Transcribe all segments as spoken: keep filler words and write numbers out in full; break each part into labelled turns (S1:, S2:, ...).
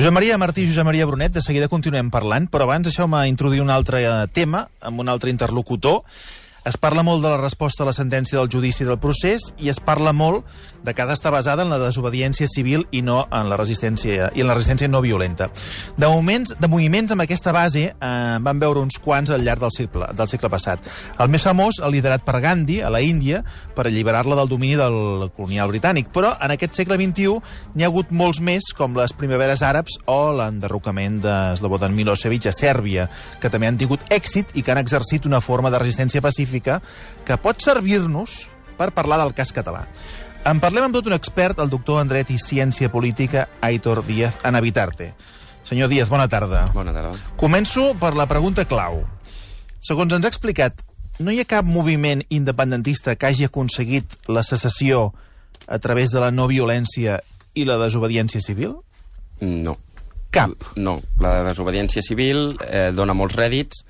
S1: Josep Maria Martí i Josep Maria Brunet, de seguida continuem parlant, però abans deixeu-me introduir un altre tema amb un altre interlocutor. Es parla molt de la resposta a la sentència del judici del procés i es parla molt de que ha d'estar basada en la desobediència civil i no en la resistència i en la resistència no violenta. De moments, de moviments amb aquesta base eh, van veure uns quants al llarg del segle, del segle passat. El més famós, el liderat per Gandhi, a la Índia, per alliberar-la del domini del colonial britànic. Però en aquest segle vint-i-u n'hi ha hagut molts més, com les primaveres àrabs o l'enderrocament de Slobodan Milosevic a Sèrbia, que també han tingut èxit i que han exercit una forma de resistència pacífica que pot servir-nos per parlar del cas català. En parlem amb tot un expert, el doctor en Dret i Ciència Política, Aitor Díaz Anabitarte. Senyor Díaz, bona tarda.
S2: Bona tarda.
S1: Començo per la pregunta clau. Segons ens ha explicat, no hi ha cap moviment independentista que hagi aconseguit la secessió a través de la no violència i la desobediència civil?
S2: No.
S1: Cap?
S2: No. La desobediència civil eh, dona molts rèdits.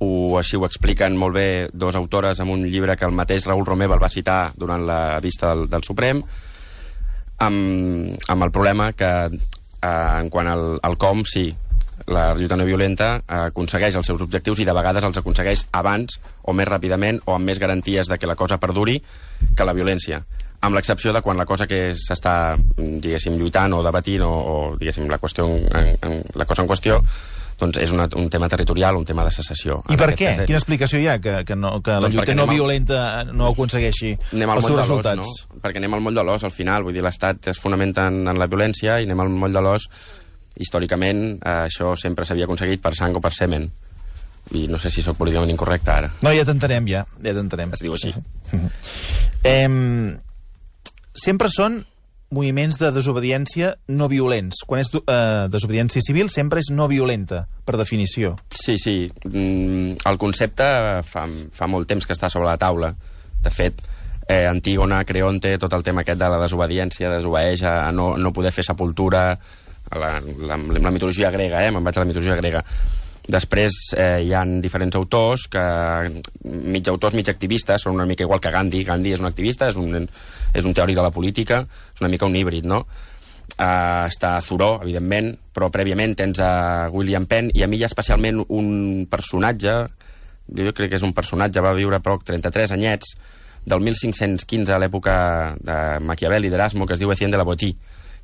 S2: Ho, així ho expliquen molt bé dos autores en un llibre que el mateix Raül Romeva el va citar durant la vista del, del Suprem, amb, amb el problema que eh, en quant al, al com, sí, la lluita no violenta eh, aconsegueix els seus objectius i de vegades els aconsegueix abans o més ràpidament o amb més garanties de que la cosa perduri que la violència, amb l'excepció de quan la cosa que s'està, diguéssim, lluitant o debatint o, o diguéssim, la, qüestió en, en, la cosa en qüestió doncs és una, un tema territorial, un tema de secessió.
S1: I per què? Cas, Quina explicació hi ha que, que, no, que la doncs lluita no violenta no aconsegueixi els seus resultats?
S2: No? Perquè anem al moll de l'os, al final. Vull dir, l'Estat es fonamenta en, en la violència i anem al moll de l'os. Històricament, eh, això sempre s'havia aconseguit per sang o per semen. I no sé si sóc políticament incorrecte ara.
S1: No, ja t'entenem, ja. Ja t'entenem.
S2: Es diu així.
S1: eh, sempre són moviments de desobediència no violents. Quan és eh, desobediència civil sempre és no violenta, per definició.
S2: Sí, sí. Mm, el concepte fa, fa molt temps que està sobre la taula. De fet, eh, Antígona, Creonte, tot el tema aquest de la desobediència, desobeeix a no, no poder fer sepultura, a la, la, la mitologia grega, eh? Me'n vaig a la mitologia grega. Després eh, hi ha diferents autors, que mig autors, mig activistes, són una mica igual que Gandhi. Gandhi és un activista, és un, és un teòric de la política, és una mica un híbrid, no? Uh, està Thoreau, evidentment, però prèviament tens a William Penn, i a mi hi ha especialment un personatge, jo crec que és un personatge, va viure poc, trenta-tres anyets, del mil cinc-cents quinze, a l'època de Maquiavel i d'Erasmo, que es diu Etienne de la Boétie,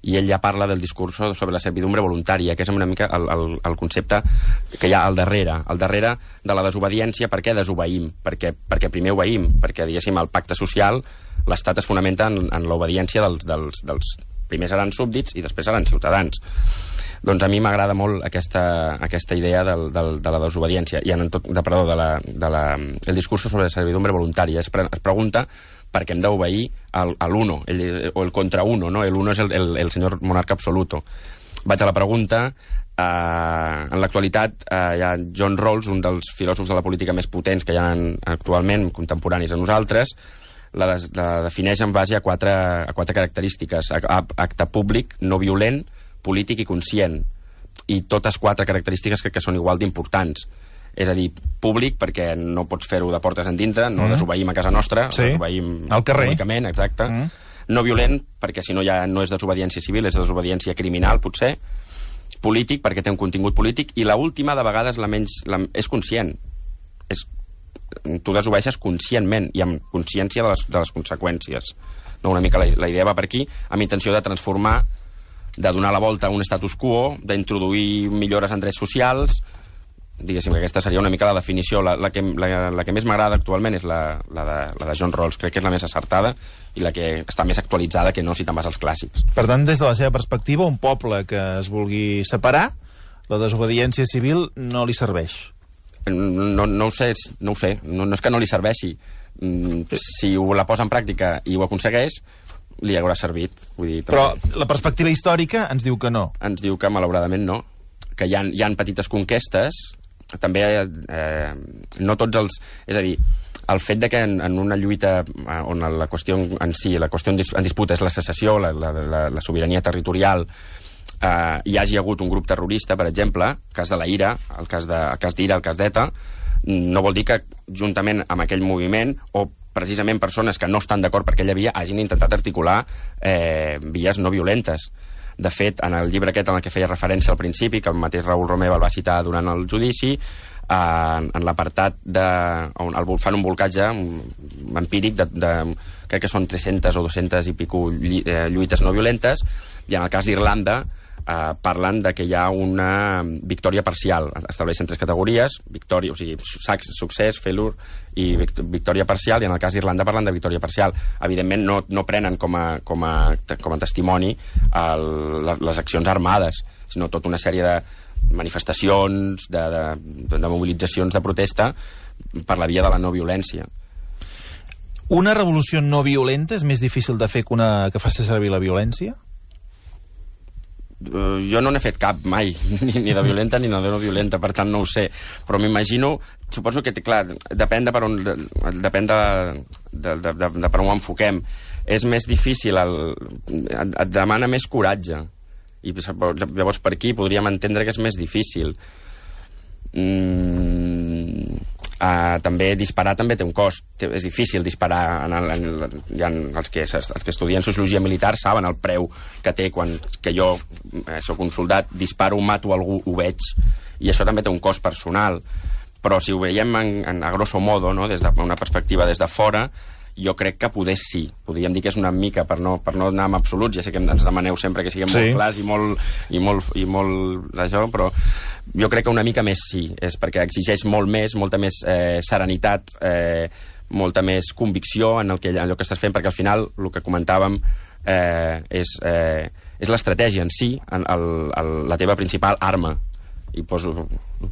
S2: i ell ja parla del discurs sobre la servidumbre voluntària, que és una mica el, el, el concepte que hi ha al darrere, al darrere de la desobediència. Per què desobeïm? Perquè, perquè primer obeïm, perquè, diguéssim, el pacte social, l'Estat es fonamenta en, en l'obediència dels, dels, dels... Primer seran súbdits i després seran ciutadans. Doncs a mi m'agrada molt aquesta, aquesta idea del, del, de la desobediència, i en tot, de, perdó, de la, de la, el discurs sobre la servidumbre voluntària. Es, pre, es pregunta perquè hem d'obeir a l'uno, o el contra uno, no? El uno és el, el, el senyor monarca absoluto. Vaig a la pregunta. Eh, en l'actualitat eh, hi ha John Rawls, un dels filòsofs de la política més potents que hi ha actualment, contemporanis a nosaltres, la, de, la defineix en base a quatre, a quatre característiques: acte públic, no violent, polític i conscient. I totes quatre característiques crec que són igual d'importants. És a dir, públic, perquè no pots fer-ho de portes endintre, no mm. desobeïm a casa nostra,
S1: sí.
S2: desobeïm
S1: al carrer.
S2: Públicament, exacte. Mm. No violent, perquè si no ja no és desobediència civil, és desobediència criminal, potser. Polític, perquè té un contingut polític. I l'última, de vegades, la menys, la, és conscient. És, tu desobeeixes conscientment i amb consciència de les, de les conseqüències. No, una mica la, la idea va per aquí, amb intenció de transformar, de donar la volta a un status quo, d'introduir millores en drets socials. Diguéssim que aquesta seria una mica la definició. La, la, que, la, la que més m'agrada actualment és la, la, de, la de John Rawls. Crec que és la més acertada i la que està més actualitzada, que no si te'n vas als clàssics.
S1: Per tant, des de la seva perspectiva, un poble que es vulgui separar, la desobediència civil no li serveix.
S2: No, no ho sé, no ho sé. No, no és que no li serveixi. Si ho la posa en pràctica i ho aconsegueix, li haurà servit. Vull dir,
S1: però la perspectiva històrica ens diu que no.
S2: Ens diu que, malauradament, no. Que hi ha, hi ha petites conquestes. També eh, no tots els... És a dir, el fet de que en, en una lluita on la qüestió en si, la qüestió en, dis, en disputa és la secessió, la, la, la, la sobirania territorial, eh, hi hagi hagut un grup terrorista, per exemple, el cas de la IRA, el cas de, el cas d'IRA, el cas d'ETA, no vol dir que juntament amb aquell moviment, o precisament persones que no estan d'acord per aquella via, hagin intentat articular eh, vies no violentes. De fet, en el llibre aquest en el que feia referència al principi, que el mateix Raül Romeva el va citar durant el judici, en, en l'apartat de... on el, fan un volcatge empíric de, de... crec que són tres-centes o dues-centes i pico lluites no violentes, i en el cas d'Irlanda eh, parlen de que hi ha una victòria parcial. Estableixen tres categories, victòria, o sigui, succés, failure i victòria parcial, i en el cas d'Irlanda parlen de victòria parcial. Evidentment no, no prenen com a, com a, com a testimoni el, les accions armades, sinó tota una sèrie de manifestacions, de, de, de mobilitzacions de protesta per la via de la no violència.
S1: Una revolució no violenta és més difícil de fer que una que faci servir la violència?
S2: Uh, jo no n'he fet cap mai, ni, ni de violenta ni de no violenta, per tant no ho sé, però m'imagino, suposo que, clar, depèn de per on, depèn de, de, de, de, de per on ho enfoquem. És més difícil, el, et demana més coratge, i llavors per aquí podríem entendre que és més difícil. Mm, uh, també disparar també té un cost, és difícil disparar en el, en el, ja els, que, els que estudien sociologia militar saben el preu que té quan que jo eh, soc un soldat, disparo, mato algú, ho veig, i això també té un cost personal, però si ho veiem en, en, a grosso modo, no? Des d'una perspectiva des de fora, jo crec que poder sí. Podríem dir que és una mica, per no, per no anar amb absoluts, ja sé que ens demaneu sempre que siguem sí. molt clars i molt, i molt, i molt d'això, però jo crec que una mica més sí, és perquè exigeix molt més, molta més eh, serenitat, eh, molta més convicció en el que, en allò que estàs fent, perquè al final, el que comentàvem, eh, és, eh, és l'estratègia en si, en el, el, la teva principal arma. I poso,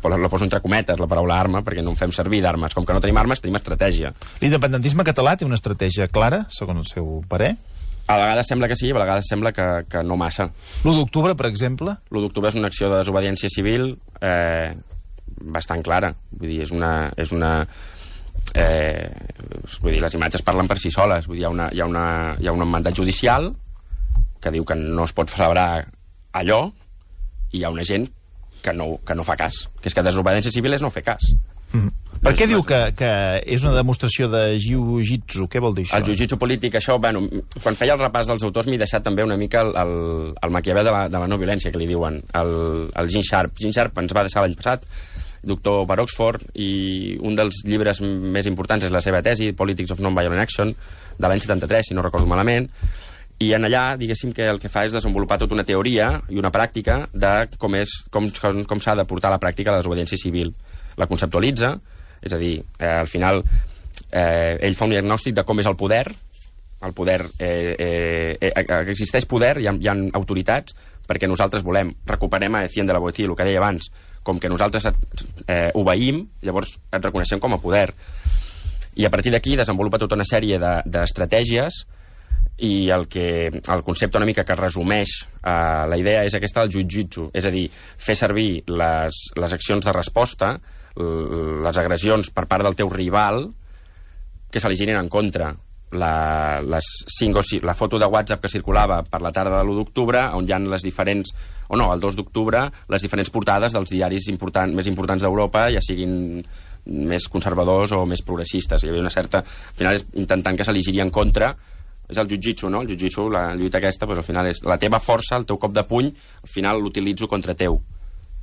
S2: la poso entre cometes, la paraula arma, perquè no en fem servir d'armes. Com que no tenim armes, tenim estratègia.
S1: L'independentisme català té una estratègia clara, segons el seu parer?
S2: A vegades sembla que sí, a vegades sembla que, que no massa.
S1: l'u d'octubre, per exemple?
S2: l'u d'octubre és una acció de desobediència civil eh, bastant clara. Vull dir, és una... És una eh, vull dir, les imatges parlen per si soles. Vull dir, hi ha, una, hi, ha una, hi ha un mandat judicial que diu que no es pot celebrar allò, i hi ha una gent que no, que no fa cas. Que és que desobediència civil és no fer cas.
S1: Mm. Per què diu que, que és una demostració de jiu-jitsu? Què vol dir això?
S2: El jiu-jitsu polític, això, bueno, quan feia el repàs dels autors m'he deixat també una mica el, el, el Maquiavel de la, de la no violència, que li diuen, el, el Gene Sharp. Gene Sharp ens va deixar l'any passat, doctor per Oxford, i un dels llibres més importants és la seva tesi, Politics of Non-Violent Action, de l'any setanta-tres, si no recordo malament, i en allà, diguéssim, que el que fa és desenvolupar tota una teoria i una pràctica de com, és, com, com, com s'ha de portar a la pràctica la desobediència civil. La conceptualitza, és a dir, eh, al final eh, ell fa un diagnòstic de com és el poder, el poder, eh, eh, eh, existeix poder, hi ha, hi ha autoritats, perquè nosaltres volem, recuperem a Etienne de la Boétie, el que deia abans, com que nosaltres eh, obeïm, llavors et reconeixem com a poder. I a partir d'aquí desenvolupa tota una sèrie d'estratègies, i el, que, el concepte una mica que resumeix eh, la idea és aquesta del jiu-jitsu, és a dir, fer servir les, les accions de resposta, les agressions per part del teu rival que se li girin en contra. La, les cinc o sis, la foto de WhatsApp que circulava per la tarda de l'u d'octubre, on hi ha les diferents, o no, el dos d'octubre, les diferents portades dels diaris important, més importants d'Europa, ja siguin més conservadors o més progressistes. Hi havia una certa... Al final, intentant que se li giri en contra. És el jiu-jitsu, no? El jiu-jitsu, la lluita aquesta, doncs, al final és la teva força, el teu cop de puny, al final l'utilitzo contra teu,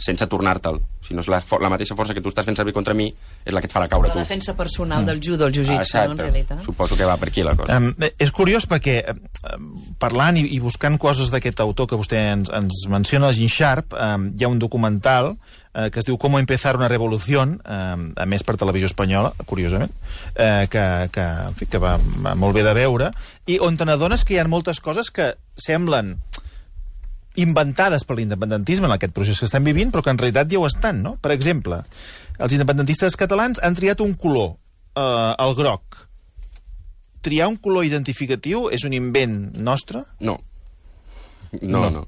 S2: sense tornar-te'l. Si no és la, la mateixa força que tu estàs fent servir contra mi, és la que et farà caure
S3: la
S2: tu.
S3: La defensa personal mm. del judo, el jiu-jitsu, ah, no, en realitat.
S2: Suposo que va per aquí la cosa.
S1: Um, és curiós perquè, parlant i, i buscant coses d'aquest autor que vostè ens, ens menciona, el Gene Sharp, um, hi ha un documental eh, que es diu Cómo empezar una revolución, eh, a més per televisió espanyola, curiosament, eh, que, que, en fi, que va, va molt bé de veure, i on te n'adones que hi ha moltes coses que semblen inventades per l'independentisme en aquest procés que estem vivint, però que en realitat ja ho estan, no? Per exemple, els independentistes catalans han triat un color, eh, el groc. Triar un color identificatiu és un invent nostre?
S2: No. No, no. no.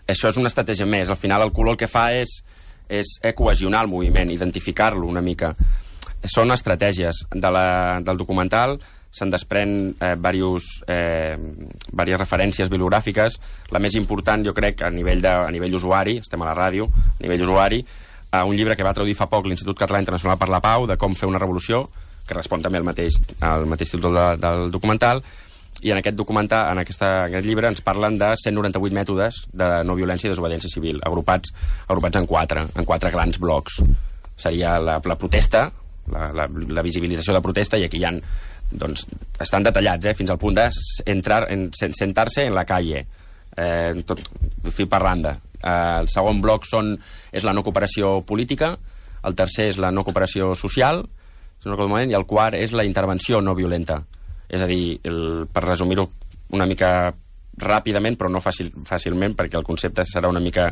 S2: Això és una estratègia més. Al final el color el que fa és, és cohesionar el moviment, identificar-lo una mica. Són estratègies. De la, del documental se'n desprèn eh, diversos, eh, diverses referències bibliogràfiques. La més important, jo crec, a nivell, de, a nivell usuari, estem a la ràdio, a nivell usuari, eh, un llibre que va traduir fa poc l'Institut Català Internacional per la Pau, de com fer una revolució, que respon també al mateix, al mateix títol de, del documental, i en aquest documental, en, aquesta, en aquest llibre, ens parlen de cent noranta-vuit mètodes de no violència i desobediència civil, agrupats, agrupats en quatre, en quatre grans blocs. Seria la, la protesta, la, la, la visibilització de protesta, i aquí hi ha, doncs, estan detallats, eh, fins al punt de entrar, en, sentar-se en la calle, eh, tot fil per randa. Eh, el segon bloc són, és la no cooperació política, el tercer és la no cooperació social, i el quart és la intervenció no violenta. És a dir, el, per resumir-ho una mica ràpidament, però no fàcil, fàcilment, perquè el concepte serà una mica,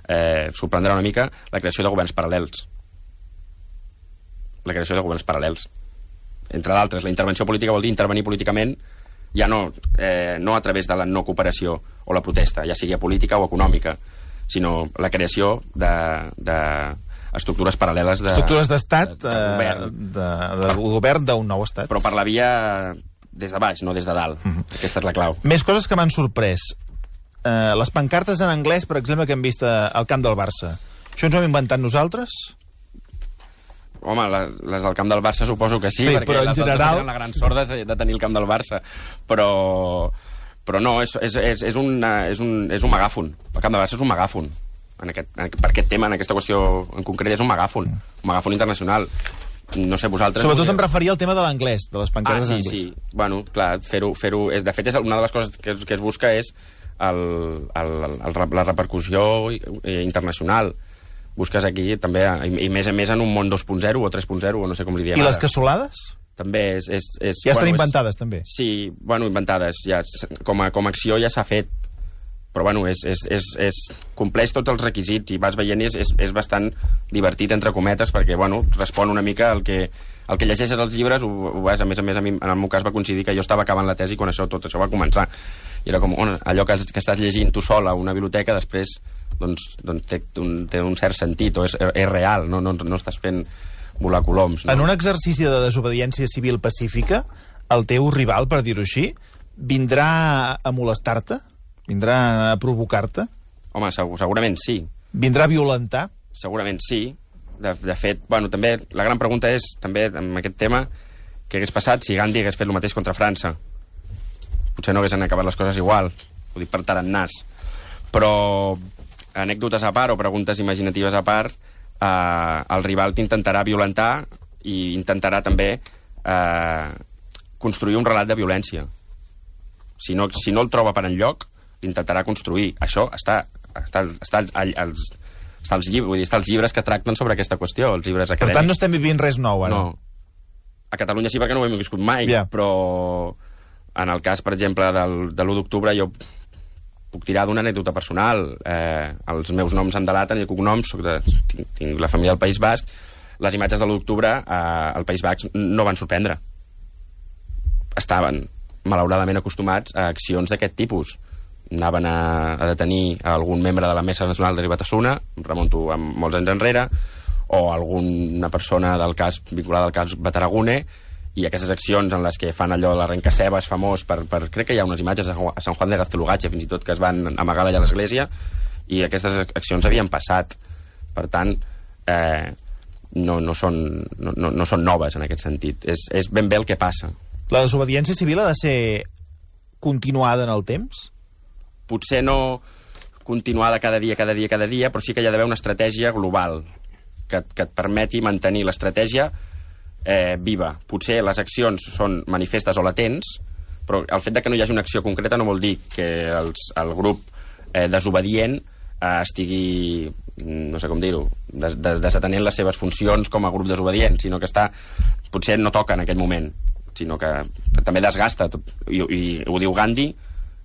S2: eh, sorprendrà una mica, la creació de governs paral·lels. La creació de governs paral·lels. Entre d'altres, la intervenció política vol dir intervenir políticament, ja no, eh, no a través de la no cooperació o la protesta, ja sigui política o econòmica, sinó la creació de... de estructures paral·leles de...
S1: Estructures d'estat,
S2: de, de govern.
S1: De, de, de govern d'un nou estat.
S2: Però per la via des de baix, no des de dalt. Uh -huh. Aquesta és la clau.
S1: Més coses que m'han sorprès. Uh, les pancartes en anglès, per exemple, que hem vist al camp del Barça. Això ens ho hem inventat nosaltres?
S2: Home, la, les del camp del Barça suposo que sí,
S1: sí
S2: perquè
S1: però en
S2: les
S1: general...
S2: altres eren la gran sorda de tenir el camp del Barça. Però, però no, és, és, és, és, una, és, un, és un megàfon. El camp del Barça és un megàfon. En aquest, en, per aquest tema, en aquesta qüestió en concret, és un megàfon, un megàfon internacional. No sé, vosaltres...
S1: Sobretot em referia al tema de l'anglès, de les pancartes
S2: ah, sí,
S1: en anglès.
S2: sí, bueno, clar, fer-ho... Fer de fet, és una de les coses que, que es busca és el, el, el, la repercussió internacional. Busques aquí, també, i, i més a més en un món dos punt zero o tres punt zero, o no sé com li diem.
S1: I
S2: ara.
S1: les cassolades?
S2: També és... és, és
S1: ja estan
S2: bueno,
S1: inventades,
S2: és,
S1: també?
S2: Sí, bueno, inventades. Ja, com, a, com a acció ja s'ha fet, però bueno, és, és, és, és, compleix tots els requisits i vas veient i és, és, és bastant divertit, entre cometes, perquè bueno, respon una mica al que, al que llegeixes als llibres. Ho, ho vas, a més a més, a mi, en el meu cas va coincidir que jo estava acabant la tesi quan això, tot això va començar. I era com, on, allò que, que estàs llegint tu sol a una biblioteca, després doncs, doncs té, un, té un cert sentit, o és, és real, no, no, no estàs fent volar coloms. No?
S1: En un exercici de desobediència civil pacífica, el teu rival, per dir-ho així, vindrà a molestar-te? Vindrà a provocar-te?
S2: Home, segur, segurament sí.
S1: Vindrà a violentar?
S2: Segurament sí. De, de fet, bueno, també la gran pregunta és, també, amb aquest tema, què hagués passat si Gandhi hagués fet el mateix contra França? Potser no haguessin acabat les coses igual. Ho dic per tarannàs. Però, anècdotes a part o preguntes imaginatives a part, eh, el rival t'intentarà violentar i intentarà també eh, construir un relat de violència. Si no, si no el troba per enlloc, intentarà construir. Això està, està, està, als, està, als llibres, vull dir, està als llibres que tracten sobre aquesta qüestió, els llibres acadèmics.
S1: Per tant, no estem vivint res nou, ara.
S2: No. A Catalunya sí, perquè no ho hem viscut mai,
S1: yeah.
S2: Però en el cas, per exemple, del, de l'u d'octubre, jo puc tirar d'una anècdota personal. Eh, els meus noms em delaten i cognoms, soc de, tinc, tinc la família del País Basc. Les imatges de l'u d'octubre eh, al País Basc no van sorprendre. Estaven, malauradament, acostumats a accions d'aquest tipus. Anaven a, a detenir algun membre de la Mesa Nacional de Batasuna, em remunto a molts anys enrere, o alguna persona del cas vinculada al cas Bataragune, i aquestes accions en les que fan allò de l'arrencacebes famós, per, per, crec que hi ha unes imatges a Sant Juan de Gaztelugatxe, fins i tot, que es van amagar allà a l'església, i aquestes accions havien passat. Per tant, eh, no, no, són, no, no, no són noves en aquest sentit. És, és ben bé el que passa.
S1: La desobediència civil ha de ser continuada en el temps?
S2: Potser no continuada cada dia, cada dia, cada dia, però sí que hi ha d'haver una estratègia global que, que et permeti mantenir l'estratègia eh, viva. Potser les accions són manifestes o latents, però el fet de que no hi hagi una acció concreta no vol dir que els, el grup eh, desobedient eh, estigui, no sé com dir-ho, des, des, desatenent les seves funcions com a grup desobedient, sinó que està, potser no toca en aquell moment, sinó que també desgasta tot. I, i ho diu Gandhi,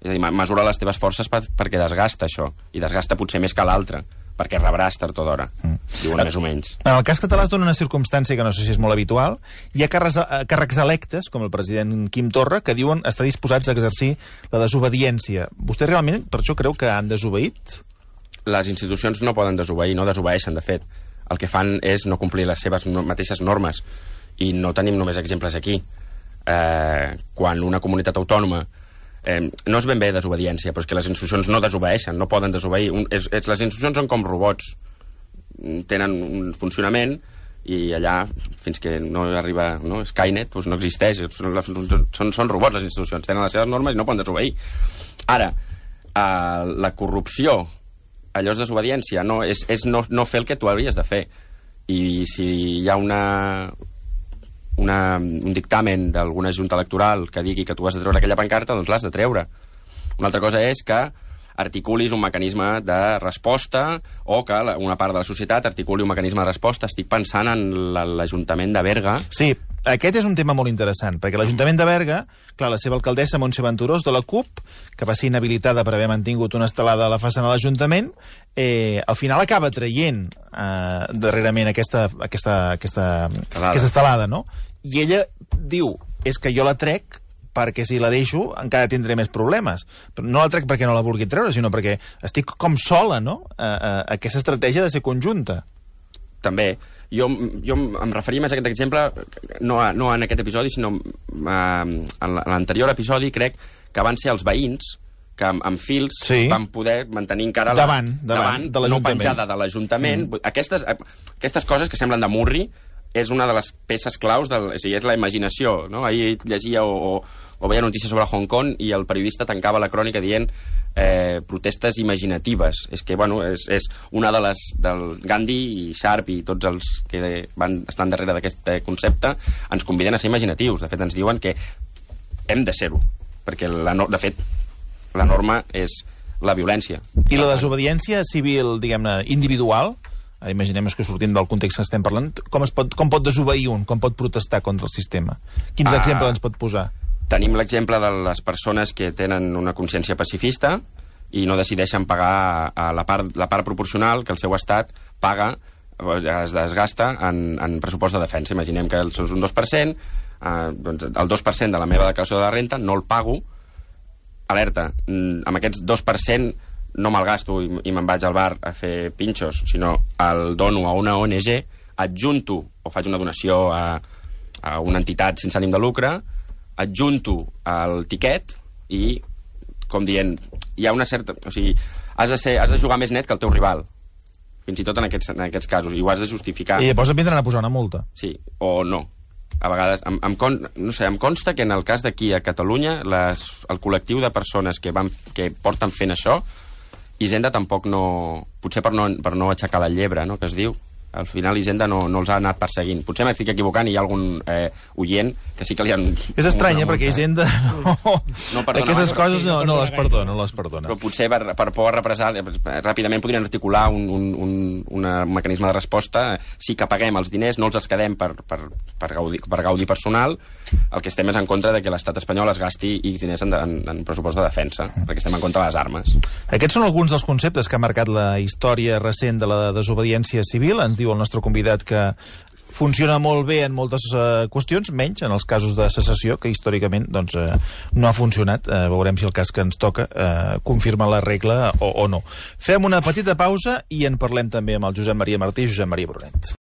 S2: és a dir, mesura les teves forces per, perquè desgasta això, i desgasta potser més que l'altre, perquè rebràs tard o d'hora, mm. diuen més o menys.
S1: En el cas català es dona una circumstància que no sé si és molt habitual. Hi ha càrrecs, càrrecs electes, com el president Quim Torra, que diuen estar disposats a exercir la desobediència. Vostè realment per això creu que han desobeït?
S2: Les institucions no poden desobeir, no desobeeixen, de fet. El que fan és no complir les seves mateixes normes, i no tenim només exemples aquí. Eh, quan una comunitat autònoma Eh, no és ben bé desobediència, però és que les institucions no desobeeixen, no poden desobeir. Un, és, és, les institucions són com robots, tenen un funcionament i allà, fins que no arriba no, Skynet, doncs no existeix. Són, són, són robots, les institucions. Tenen les seves normes i no poden desobeir. Ara, eh, la corrupció, allò és desobediència, no, és, és no, no fer el que tu hauries de fer. I si hi ha una, una, un dictamen d'alguna junta electoral que digui que tu has de treure aquella pancarta, doncs l'has de treure. Una altra cosa és que articulis un mecanisme de resposta o que una part de la societat articuli un mecanisme de resposta. Estic pensant en l'Ajuntament de Berga.
S1: Sí, aquest és un tema molt interessant, perquè l'Ajuntament de Berga, clar, la seva alcaldessa, Montse Venturós, de la CUP, que va ser inhabilitada per haver mantingut una estelada a la façana de l'Ajuntament, eh, al final acaba traient eh, darrerament aquesta, aquesta, aquesta, aquesta estelada, no? I ella diu, és que jo la trec perquè si la deixo encara tindré més problemes. Però no la trec perquè no la vulgui treure, sinó perquè estic com sola, no? A, a, a aquesta estratègia de ser conjunta.
S2: També. Jo, jo em referia més a aquest exemple, no, a, no en aquest episodi, sinó a, en l'anterior episodi, crec que van ser els veïns que amb, amb fils sí. van poder mantenir encara la,
S1: davant, davant, davant de
S2: no penjada de l'Ajuntament. Mm. Aquestes, aquestes coses que semblen de murri és una de les peces claus, del, és, és la imaginació. No? Ahir llegia o, o, o veia notícies sobre Hong Kong i el periodista tancava la crònica dient eh, protestes imaginatives. És que, bueno, és, és una de les del Gandhi i Sharp i tots els que van estan darrere d'aquest concepte ens conviden a ser imaginatius. De fet, ens diuen que hem de ser-ho, perquè la, de fet la norma és la violència.
S1: I la desobediència civil, diguem-ne, individual, imaginem que sortint del context que estem parlant, com, es pot, com pot desobeir un, com pot protestar contra el sistema? Quins ah, exemples ens pot posar?
S2: Tenim l'exemple de les persones que tenen una consciència pacifista i no decideixen pagar a la part, la part proporcional que el seu estat paga, es desgasta en, en pressupost de defensa. Imaginem que és un dos per cent, eh, doncs el dos per cent de la meva declaració de la renta no el pago. Alerta, amb aquests dos per cent no me'l gasto i, i me'n vaig al bar a fer pinxos, sinó el dono a una O N G, adjunto o faig una donació a, a una entitat sense ànim de lucre, adjunto el tiquet i, com dient, hi ha una certa... O sigui, has de, ser, has de jugar més net que el teu rival, fins i tot en aquests, en aquests casos, i ho has de justificar.
S1: I llavors et vindran a posar una multa.
S2: Sí, o no. A vegades, em, em, con, no sé, em consta que en el cas d'aquí a Catalunya les, el col·lectiu de persones que, van, que porten fent això, Hisenda tampoc no... Potser per no, per no aixecar la llebre, no?, que es diu. Al final Hisenda no, no els ha anat perseguint. Potser m'estic equivocant i hi ha algun eh, oient que sí que li han...
S1: És estrany, eh, perquè Hisenda no,
S2: no
S1: aquestes coses no, no les perdona, no les perdona.
S2: Però potser per, per por a represar, ràpidament podrien articular un, un, un, un mecanisme de resposta. Sí que paguem els diners, no els es quedem per, per, per, gaudi, per gaudi personal. El que estem és en contra de que l'estat espanyol es gasti X diners en, en, en pressupost de defensa, perquè estem en contra de les armes.
S1: Aquests són alguns dels conceptes que ha marcat la història recent de la desobediència civil. Ens diu el nostre convidat que funciona molt bé en moltes uh, qüestions, menys en els casos de secessió, que històricament doncs, uh, no ha funcionat. Uh, veurem si el cas que ens toca uh, confirma la regla o, o no. Fem una petita pausa i en parlem també amb el Josep Maria Martí i Josep Maria Brunet.